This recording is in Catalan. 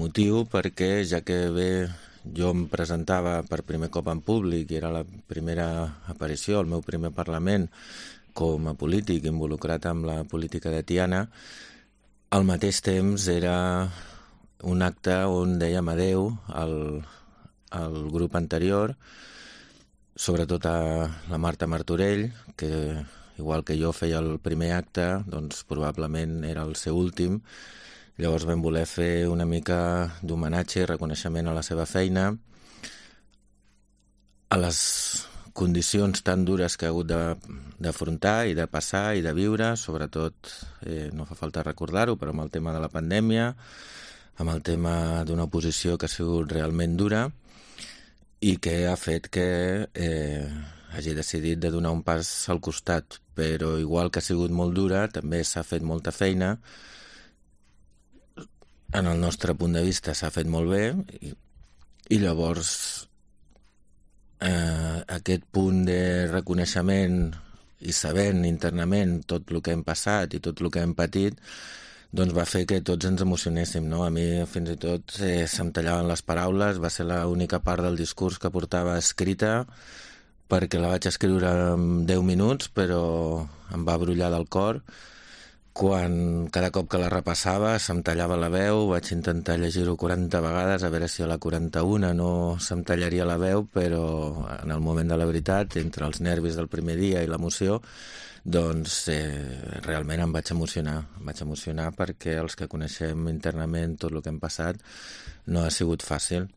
emotiu perquè ja que jo em presentava per primer cop en públic i era la primera aparició, el meu primer Parlament com a polític involucrat amb la política de Tiana, al mateix temps era un acte on dèiem adeu al grup anterior, sobretot a la Marta Martorell, que igual que jo feia el primer acte, doncs probablement era el seu últim. Llavors vam voler fer una mica d'homenatge i reconeixement a la seva feina, a les condicions tan dures que ha hagut d'afrontar i de passar i de viure, sobretot, no fa falta recordar-ho, però amb el tema de la pandèmia, amb el tema d'una oposició que ha sigut realment dura i que ha fet que hagi decidit de donar un pas al costat. Però igual que ha sigut molt dura, també s'ha fet molta feina. En el nostre punt de vista s'ha fet molt bé i llavors aquest punt de reconeixement i sabent internament tot el que hem passat i tot el que hem patit, doncs va fer que tots ens emocionéssim, no? A mi fins i tot se'm tallaven les paraules, va ser l'única part del discurs que portava escrita perquè la vaig escriure en 10 minuts, però em va brollar del cor. Quan cada cop que la repassava se'm tallava la veu, vaig intentar llegir-ho 40 vegades, a veure si a la 41 no se'm tallaria la veu, però en el moment de la veritat, entre els nervis del primer dia i l'emoció, doncs realment em vaig emocionar perquè els que coneixem internament tot el que hem passat no ha sigut fàcil.